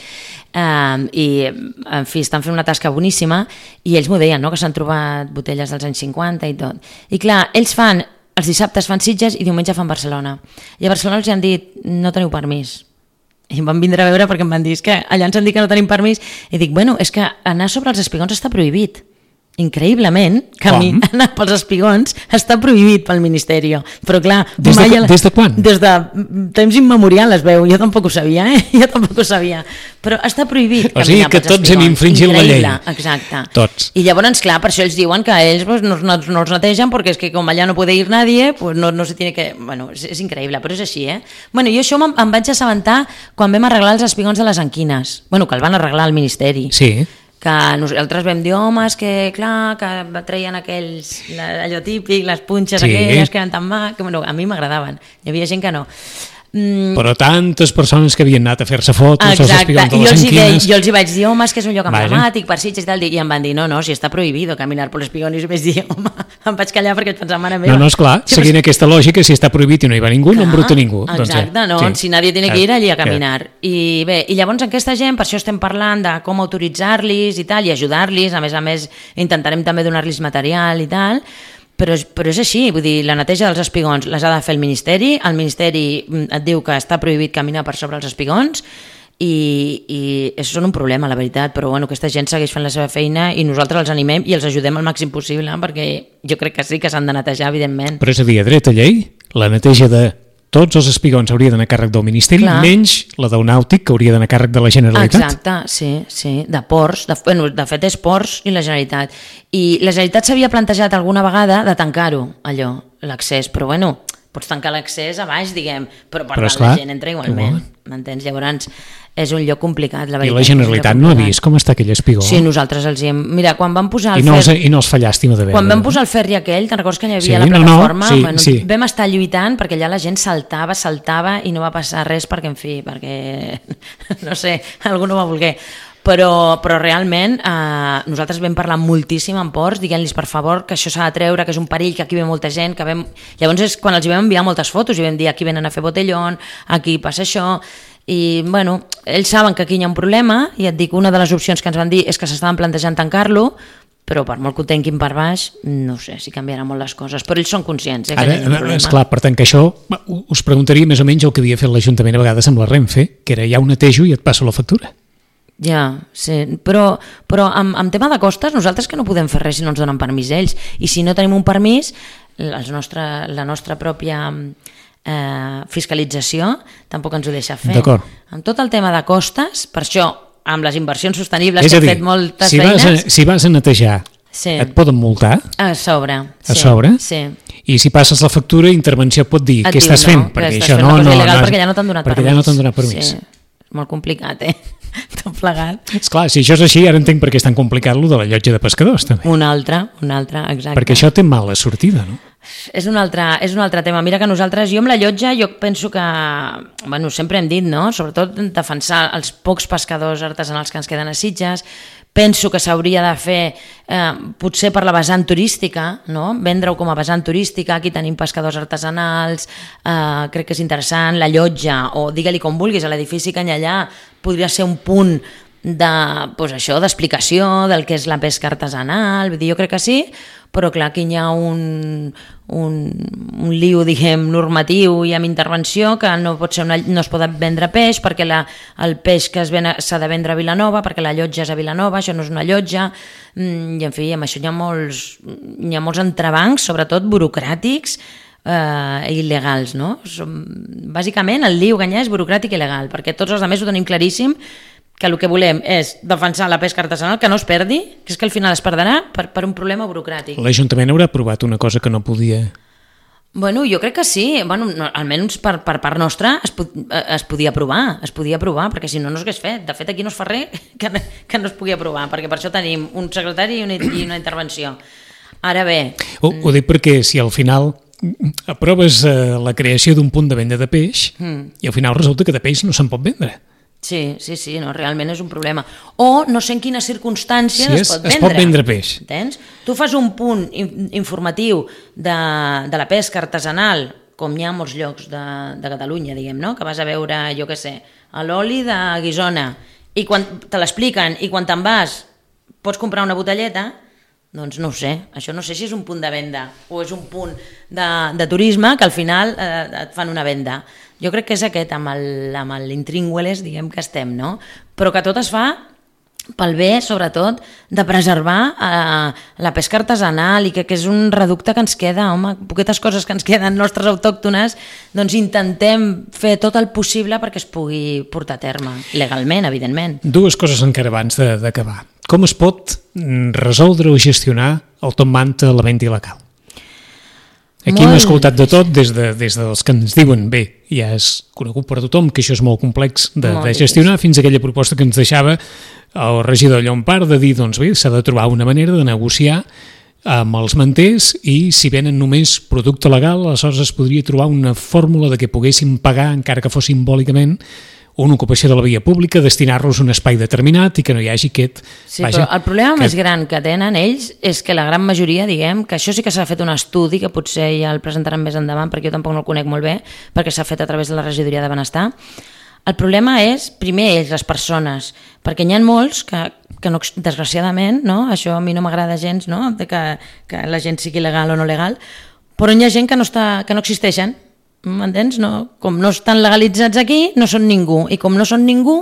i en fi, estan fent una tasca boníssima, i ells m'ho deien, no?, que s'han trobat botelles dels anys 50 i tot. I clar, ells els dissabtes fan Sitges i diumenge fan Barcelona. I a Barcelona els han dit, no teniu permís. I em van vindre a veure perquè em van dir que allà ens han dit que no tenim permís, i dic, bueno, és que anar sobre els espigons està prohibit. Increïblement, anar pels espigons està prohibit pel Ministeri. Però clar... Des de quan? Des de temps immemorial es veu. Jo tampoc ho sabia, Jo tampoc ho sabia. Però està prohibit caminar pels espigons. O sigui que tots hem infringit la llei. Exacte. Tots. I llavors, clar, per això ells diuen que ells no els netegen, perquè és que com allà no puede ir nadie, pues no se tiene que... Bueno, és increïble, però és així, Bueno, jo això em vaig assabentar quan vam arreglar els espigons de les Anquines. Bueno, que el van arreglar al Ministeri. Sí. Que nosaltres vam dir, home, és que clar, que treien aquells, allò típic, les punxes aquelles que eren tan maques, que bueno, a mi m'agradaven, hi havia gent que no. Però tantes persones que havien anat a fer-se fotos als espigons de les Anquines. Jo els hi vaig dir, home, és que és un lloc emblemàtic per Sitges i tal, i em van dir, no, si està prohibido caminar per l'espigón, i jo vaig dir, home, em vaig callar perquè pensava, mare meva. No, esclar, seguint aquesta lògica, si està prohibit i no hi va ningú, no embruta ningú. Exacte, si nadie tiene que ir allí a caminar. I bé, i llavors aquesta gent, per això estem parlant de com autoritzar-los i tal, i ajudar-los, a més, intentarem també donar-los material i tal, però és així, vull dir, la neteja dels espigons les ha de fer el Ministeri et diu que està prohibit caminar per sobre els espigons i això és un problema, la veritat, però bueno, aquesta gent segueix fent la seva feina i nosaltres els animem i els ajudem al màxim possible, perquè jo crec que sí que s'han de netejar, evidentment. Però és a dir, a dreta llei, la neteja de tots els espigons hauria d'anar a càrrec del Ministeri, menys la del nàutic, que hauria d'anar a càrrec de la Generalitat. Exacte, sí, de ports, de fet és ports i la Generalitat. I la Generalitat s'havia plantejat alguna vegada de tancar-ho, allò, l'accés, però bueno, pots tancar l'accés a baix, diguem, però per tant la gent entra igualment, m'entens? Llavors és un lloc complicat, la veritat. I la Generalitat no ha vist com està aquell espigó? Sí, nosaltres els hi hem... Mira, quan vam posar el I no els fa llàstima de veure. Quan vam posar el ferri aquell, te'n recordes que hi havia la plataforma? Vam estar lluitant perquè allà la gent saltava i no va passar res perquè, en fi, no sé, algú no va voler. Però realment nosaltres vam parlar moltíssim amb ports dient-los per favor que això s'ha de treure, que és un perill, que aquí ve molta gent, llavors és quan els vam enviar moltes fotos i vam dir aquí venen a fer botellón, aquí passa això, i bueno, ells saben que aquí hi ha un problema i et dic, una de les opcions que ens van dir és que s'estaven plantejant tancar-lo, però per molt que ho tanquin per baix, no sé si canviaran molt les coses, però ells són conscients que hi ha un problema. Esclar, per tant que això us preguntaria més o menys el que havia fet l'Ajuntament a vegades amb la Renfe, que era ja ho netejo i et passo la factura. Ja, sí, però amb tema de costes nosaltres que no podem fer res si no ens donen permís ells, i si no tenim un permís la nostra pròpia fiscalització tampoc ens ho deixa fer. D'acord. Amb tot el tema de costes, per això amb les inversions sostenibles que hem fet moltes feines... Si vas a netejar, et poden multar? A sobre. A sobre? Sí. I si passes la factura, intervenció pot dir què estàs fent? Perquè això no és il·legal, perquè ja no t'han donat permís. Perquè ja no t'han donat permís. Sí. Molt complicat, tot plegat. Esclar, si això és així, ara entenc per què és tan complicat lo de la llotja de pescadors, també. Un altre, exacte. Perquè això té mala sortida, no? És un altre tema. Mira que nosaltres, jo amb la llotja, jo penso que, bueno, sempre hem dit, no?, sobretot defensar els pocs pescadors artesanals que ens queden a Sitges. Penso que s'hauria de fer, potser per la vessant turística, no?, vendre-ho com a vessant turística, aquí tenim pescadors artesanals, crec que és interessant, la llotja, o digue-li com vulguis, a l'edifici Canyellà podria ser un punt d'explicació del que és la pesca artesanal, vull dir, jo crec que sí, però clar, aquí hi ha un lío, diguem, normatiu i amb intervenció que no es pot vendre peix perquè el peix que s'ha de vendre a Vilanova, perquè la llotja és a Vilanova, això no és una llotja, i en fi, amb això hi ha molts entrebancs, sobretot burocràtics, il·legals, no? Bàsicament el lío Canyellà és burocràtic i il·legal, perquè tots els altres ho tenim claríssim, que el que volem és defensar la pesca artesanal, que no es perdi, que és que al final es perdrà per un problema burocràtic. L'Ajuntament haurà aprovat una cosa que no podia... Bueno, jo crec que sí, bueno, almenys per part nostra es podia aprovar, perquè si no, no s'hagués fet. De fet, aquí no es fa res que no es pugui aprovar, perquè per això tenim un secretari i una intervenció. Ara bé... Ho dic perquè si al final aproves la creació d'un punt de venda de peix i al final resulta que de peix no se'n pot vendre. Sí, no, realment és un problema. O no sé en quines circumstàncies es pot vendre. Es pot vendre peix. Entens? Tu fas un punt informatiu de la pesca artesanal, com hi ha a molts llocs de Catalunya, diguem, no? Que vas a veure, jo què sé, l'oli de Guissona, i quan te l'expliquen i quan te'n vas pots comprar una botelleta, doncs no ho sé, això no sé si és un punt de venda o és un punt de turisme que al final et fan una venda. Jo crec que és aquest, amb l'intrínguales, diguem que estem, no? Però que tot es fa pel bé, sobretot, de preservar la pesca artesanal i que és un reducte que ens queda, home, poquetes coses que ens queden nostres autòctones, doncs intentem fer tot el possible perquè es pugui portar a terme, legalment, evidentment. Dues coses encara abans d'acabar. Com es pot resoldre o gestionar el top manta a la venda il·legal? Aquí hem escoltat de tot, des dels que ens diuen, bé, ja és conegut per tothom que això és molt complex de gestionar, fins a aquella proposta que ens deixava el regidor Llompart de dir, doncs bé, s'ha de trobar una manera de negociar amb els manters i si venen només producte legal, aleshores es podria trobar una fórmula de que poguessin pagar, encara que fos simbòlicament, una ocupació de la via pública, destinar-los a un espai determinat i que no hi hagi aquest... Sí, però el problema més gran que tenen ells és que la gran majoria, diguem, que això sí que s'ha fet un estudi, que potser ja el presentaran més endavant, perquè jo tampoc no el conec molt bé, perquè s'ha fet a través de la regidoria de benestar. El problema és, primer, ells, les persones, perquè n'hi ha molts que no, desgraciadament, no? Això a mi no m'agrada gens, no? Que la gent sigui legal o no legal, però hi ha gent que no existeixen. M'entens? No? Com no estan legalitzats aquí, no són ningú. I com no són ningú,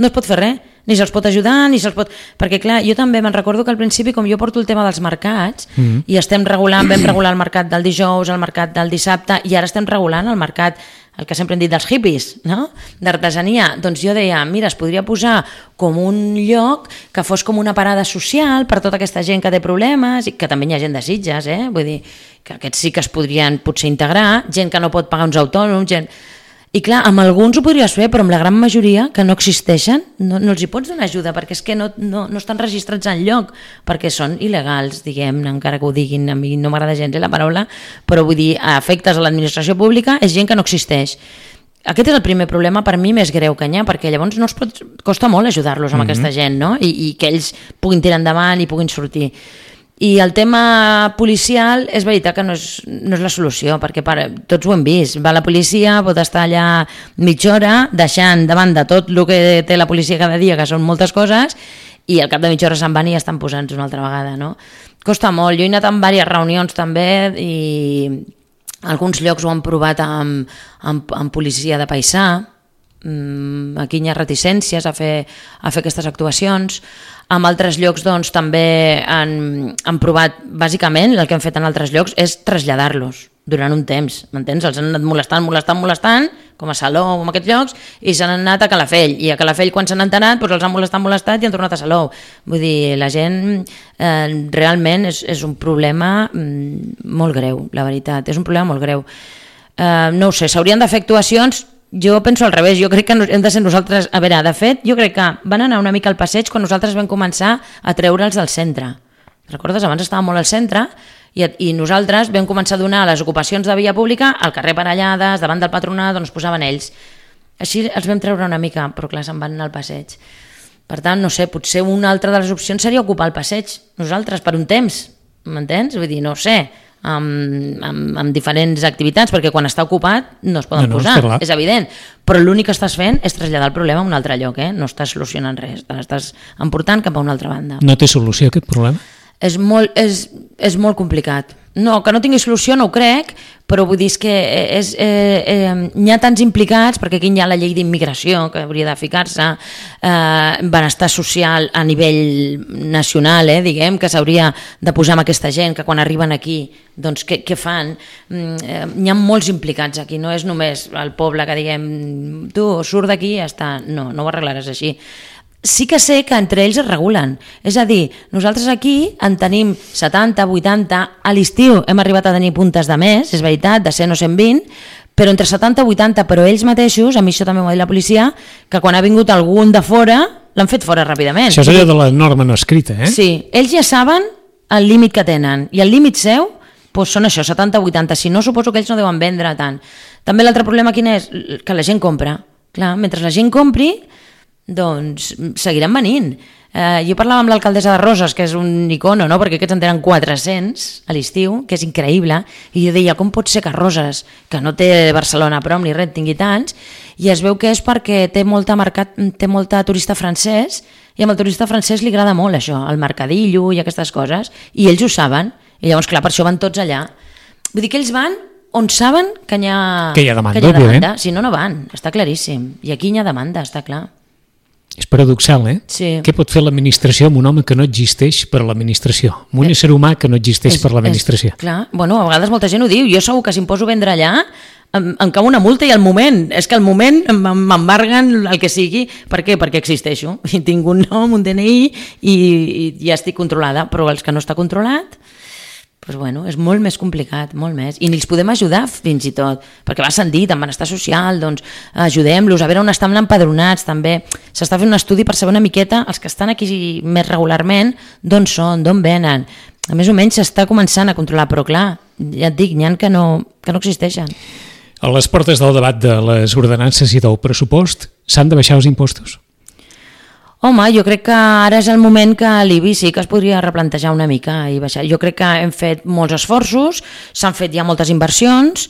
no es pot fer res. Ni se'ls pot ajudar, ni se'ls pot... Perquè, clar, jo també me'n recordo que al principi, com jo porto el tema dels mercats, i estem regulant, vam regular el mercat del dijous, el mercat del dissabte, i ara estem regulant el mercat, el que sempre hem dit dels hippies, no? D'artesania. Doncs jo deia, mira, es podria posar com un lloc que fos com una parada social per tota aquesta gent que té problemes, i que també hi ha gent de Sitges, vull dir, que aquests sí que es podrien potser integrar, gent que no pot pagar uns autònoms, gent... I clar, amb alguns ho podries fer, però amb la gran majoria que no existeixen, no els hi pots donar ajuda, perquè és que no estan registrats enlloc, perquè són il·legals, diguem, encara que ho diguin, a mi no m'agrada gens la paraula, però vull dir, a efectes de l'administració pública és gent que no existeix. Aquest és el primer problema per mi més greu que hi ha, perquè llavors no es pot, costa molt ajudar-los amb aquesta gent, no? I que ells puguin tirar endavant i puguin sortir. I el tema policial és veritat que no és la solució, perquè tots ho hem vist, va la policia, pot estar allà mitja hora deixant davant de tot el que té la policia cada dia, que són moltes coses, i al cap de mitja hora se'n van i ja estan posant-se una altra vegada, no? Costa molt, jo he anat en diverses reunions també i alguns llocs ho han provat amb policia de paisà, aquí hi ha reticències a fer aquestes actuacions. En altres llocs doncs, també han provat, bàsicament, el que han fet en altres llocs és traslladar-los durant un temps, m'entens? Els han anat molestant, com a Salou o en aquests llocs, i s'han anat a Calafell, i a Calafell quan s'han enterat doncs els han molestat i han tornat a Salou. Vull dir, la gent realment és un problema molt greu, la veritat, és un problema molt greu. No ho sé, s'haurien de fer actuacions. Jo penso al revés, jo crec que hem de ser nosaltres... A veure, de fet, jo crec que van anar una mica al passeig quan nosaltres vam començar a treure'ls del centre. Recordes? Abans estàvem molt al centre i nosaltres vam començar a donar les ocupacions de via pública al carrer Parellades, davant del Patronat, on es posaven ells. Així els vam treure una mica, però clar, se'n van anar al passeig. Per tant, no sé, potser una altra de les opcions seria ocupar el passeig, nosaltres, per un temps, m'entens? Vull dir, no ho sé, amb diferents activitats, perquè quan està ocupat no es poden posar, és evident, però l'únic que estàs fent és traslladar el problema a un altre lloc, no estàs solucionant res, l'estàs emportant cap a una altra banda. No té solució aquest problema? És molt complicat. No, que no tingui solució no ho crec, però vull dir que n'hi ha tants implicats, perquè aquí hi ha la llei d'immigració que hauria de ficar-se, benestar social a nivell nacional, diguem, que s'hauria de posar amb aquesta gent, que quan arriben aquí, doncs què fan? N'hi ha molts implicats aquí, no és només el poble que diguem, tu surt d'aquí i ja està, no ho arreglaràs així. Sí que sé que entre ells es regulen, és a dir, nosaltres aquí en tenim 70, 80, a l'estiu hem arribat a tenir puntes de més, és veritat, de 100 o 120, però entre 70 i 80, però ells mateixos, a mi això també m'ho ha dit la policia, que quan ha vingut algun de fora, l'han fet fora ràpidament. Això és allò de la norma no escrita, Sí, ells ja saben el límit que tenen, i el límit seu doncs són això, 70 o 80, si no suposo que ells no deuen vendre tant. També l'altre problema quin és? Que la gent compra. Clar, mentre la gent compri, doncs seguiran venint. Jo parlava amb l'alcaldessa de Roses, que és un icono, no? Perquè aquests en tenen 400 a l'estiu, que és increïble, i jo deia, com pot ser que Roses, que no té Barcelona a prop ni res, tingui tants, i es veu que és perquè té molta turista francès, i amb el turista francès li agrada molt això, el mercadillo i aquestes coses, i ells ho saben, i llavors clar, per això van tots allà. Vull dir que ells van on saben que hi ha demanda. Si no, no van, està claríssim, i aquí hi ha demanda, està clar. És paradoxal, Sí. Què pot fer l'administració amb un home que no existeix per a l'administració? Amb un ésser humà que no existeix per a l'administració? Clar, bueno, a vegades molta gent ho diu. Jo segur que si em poso a vendre allà em cau una multa i al moment, és que al moment m'embarguen el que sigui. Per què? Perquè existeixo. I tinc un nom, un DNI i ja estic controlada. Però els que no està controlat, doncs bueno, és molt més complicat, molt més. I ni els podem ajudar fins i tot, perquè va sentit, en benestar social, doncs ajudem-los a veure on estan empadronats també. S'està fent un estudi per saber una miqueta els que estan aquí més regularment, d'on són, d'on venen. Més o menys s'està començant a controlar, però clar, ja et dic, n'hi ha que no existeixen. A les portes del debat de les ordenances i del pressupost, s'han de baixar els impostos? Home, jo crec que ara és el moment que l'IBI sí que es podria replantejar una mica i baixar. Jo crec que hem fet molts esforços, s'han fet ja moltes inversions,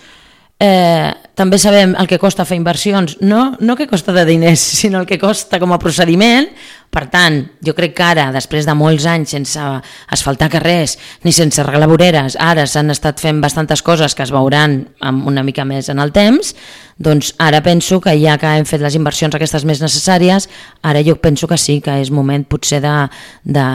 també sabem el que costa fer inversions, no que costa de diners, sinó el que costa com a procediment. Per tant, jo crec que ara, després de molts anys sense asfaltar carrers ni sense arreglar voreres, ara s'han estat fent bastantes coses que es veuran una mica més en el temps, doncs ara penso que ja que hem fet les inversions aquestes més necessàries, ara jo penso que sí, que és moment potser de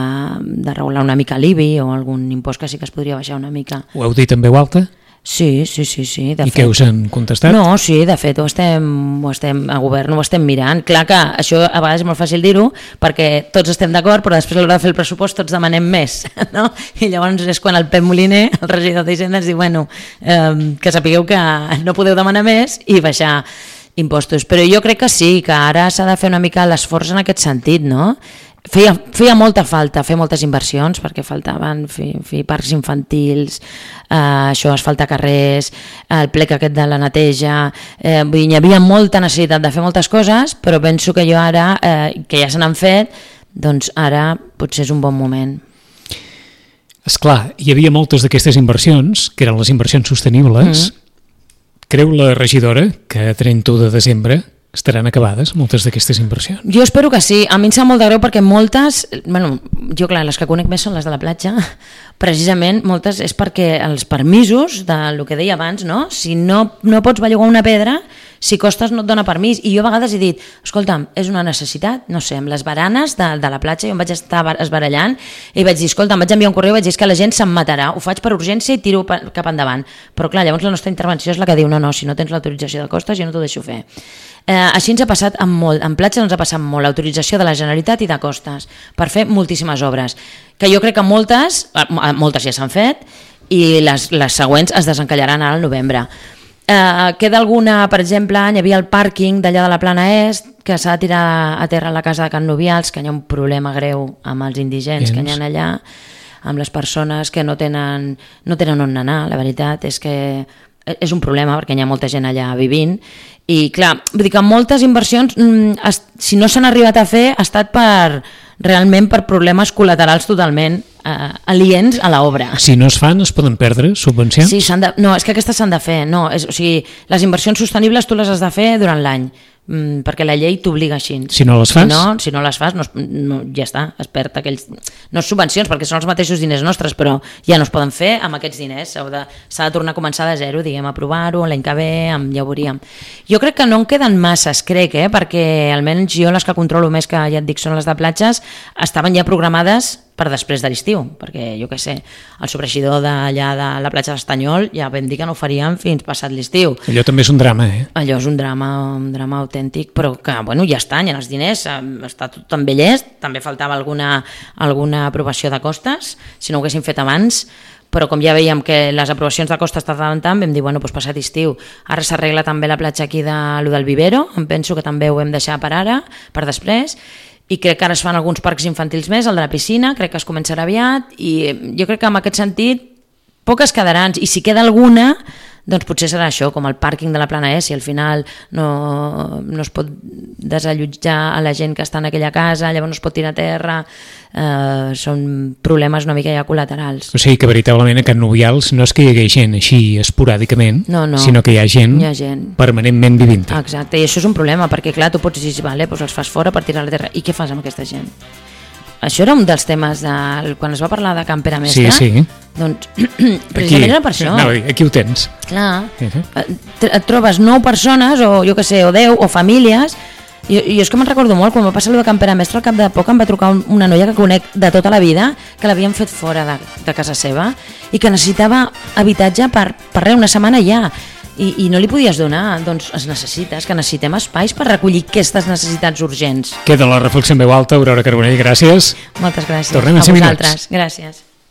regular una mica l'IBI o algun impost que sí que es podria baixar una mica. Ho heu dit en veu alta? Sí. I què us han contestat? No, sí, de fet, a govern ho estem mirant. Clar que això a vegades és molt fàcil dir-ho perquè tots estem d'acord, però després a l'hora de fer el pressupost tots demanem més, no? I llavors és quan el Pep Moliner, el regidor d'Hisenda, ens diu, bueno, que sapigueu que no podeu demanar més i baixar impostos. Però jo crec que sí, que ara s'ha de fer una mica l'esforç en aquest sentit, no? Feia molta falta fer moltes inversions perquè faltaven fer parcs infantils, això, asfaltar carrers, el plec aquest de la neteja, vull dir, hi havia molta necessitat de fer moltes coses, però penso que jo ara, que ja se n'han fet, doncs ara potser és un bon moment. Esclar, hi havia moltes d'aquestes inversions, que eren les inversions sostenibles. Creu la regidora que a 31 de desembre estaran acabades moltes d'aquestes inversions? Jo espero que sí. A mi em sap molt de greu perquè moltes, bueno, jo clar, les que conec més són les de la platja, precisament moltes és perquè els permisos, del que deia abans, no? Si no pots bellugar una pedra, si costes no et dona permís. I jo a vegades he dit, escolta'm, és una necessitat, no sé, amb les baranes de la platja, jo em vaig estar esbarallant i vaig dir, escolta'm, vaig enviar un correu i vaig dir que la gent se'm matarà, ho faig per urgència i tiro cap endavant. Però clar, llavors la nostra intervenció és la que diu, no, si no tens l'autorització de costes jo no t'ho deixo fer. Així ens ha passat en platges ens ha passat molt l'autorització de la Generalitat i de costes per fer moltíssimes obres, que jo crec que moltes ja s'han fet i les següents es desencallaran ara al novembre. Queda alguna, per exemple, hi havia el pàrquing d'allà de la Plana Est que s'ha de tirar a terra a la casa de Can Nubials, que hi ha un problema greu amb els indigents que hi ha allà, amb les persones que no tenen on anar. La veritat és que és un problema perquè hi ha molta gent allà vivint i clar, vull dir que moltes inversions si no s'han arribat a fer ha estat realment per problemes col·laterals totalment aliens a l'obra. Si no es fan, es poden perdre subvencions? Sí, no, és que aquestes s'han de fer. No, o sigui, les inversions sostenibles tu les has de fer durant l'any, perquè la llei t'obliga així. Si no les fas? Si no les fas, ja està, es perd aquells... No subvencions, perquè són els mateixos diners nostres, però ja no es poden fer amb aquests diners. S'ha de tornar a començar de zero, diguem, a provar-ho, l'any que ve, ja ho veuríem. Jo crec que no en queden masses, perquè almenys jo les que controlo més, que ja et dic són les de platges, estaven ja programades per després de l'estiu, perquè jo què sé, el sobreeixidor d'allà de la platja d'Estanyol ja vam dir que no ho faríem fins passat l'estiu. Allò també és un drama, Allò és un drama autèntic, però que, bueno, ja estan, hi ha els diners, està tot tan bé llest, també faltava alguna aprovació de costes, si no ho haguéssim fet abans, però com ja veiem que les aprovacions de costes tardaven tant, vam dir, bueno, doncs passat estiu. Ara s'arregla també la platja aquí del Vivero, em penso que també ho hem deixat per ara, per després, i crec que ara es fan alguns parcs infantils més, el de la piscina, crec que es començarà aviat, i jo crec que en aquest sentit poques quedaran, i si queda alguna doncs potser serà això, com el pàrquing de la Plana E, si al final no es pot desallotjar a la gent que està en aquella casa, llavors no es pot tirar a terra, són problemes una mica ja col·laterals. O sigui que veritablement a Can Nubials no és que hi hagi gent així esporàdicament, sinó que hi ha gent permanentment vivint. Exacte, i això és un problema, perquè clar, tu pots dir, vale, doncs els fas fora per tirar a la terra, i què fas amb aquesta gent? Això era un dels temes quan es va parlar de Can Pere Mestre. Sí. Doncs precisament era per això. Aquí ho tens. Clar, et trobes 9 persones, o jo què sé, o 10, o famílies. Jo és que me'n recordo molt, quan va passar allò de Can Pere Mestre, al cap de poc em va trucar una noia que conec de tota la vida, que l'havien fet fora de casa seva i que necessitava habitatge per una setmana ja. I no li podies donar, doncs es necessita, que necessitem espais per recollir aquestes necessitats urgents. Queda la reflexió en veu alta, Aurora Carbonell, gràcies. Moltes gràcies. Tornem a 5 minuts. Gràcies.